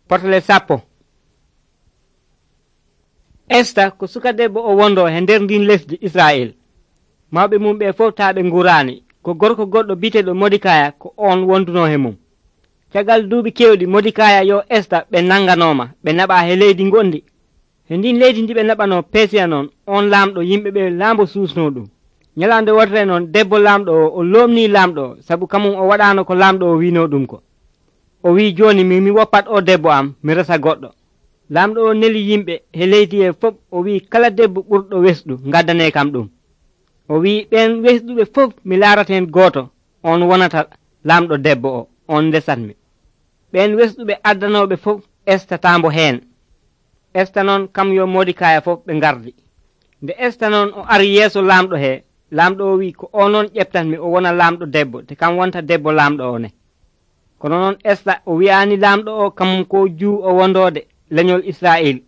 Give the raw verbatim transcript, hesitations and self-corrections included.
Portale sappo. Esta ko suka debbo o wondo he nder ndin lesdi Israel. Mawɓe mum ɓe fof taaɓe ngurani ko gorko goɗɗo biteɗo Modikaya ko on wonduno he mum. Caggal duuɓi kewɗi Modikaya yo Esta ɓe nanganoma ɓe naɓa he leydi gondi. He ndin leydi ndi ɓe naɓano Persiya noon on lamɗo yimɓe ɓe laambo susno ɗum. Nyalande wotere noon debbo lamɗo o o lomni lamɗo o sabu kamum o waɗano ko lamɗo o wino ɗum ko. O wi joni mi mi woppat o debbo am mi resa goɗɗo. Lamɗo o neli yimɓe he leydi he fof o wi kala debbo ɓurɗo wesɗu gaddane kam ɗum. O wi ɓen wesɗuɓe fof mi laaraten gooto on wonata lamɗo debbo o on ndesatmi. Ɓen wesɗuɓe addanoɓe fof Esta tambo heen. Esta noon kam yo Modikaya fof ɓe gardi. Nde Esta noon o ari yeeso lamɗo he, lamɗo o wi ko o noon ƴeftanmi o wona lamɗo debbo te kam wonta debbo lamɗo o ne. Kono noon Esta o wi'ani lamɗo o kamum ko juu o wondode leñol Israel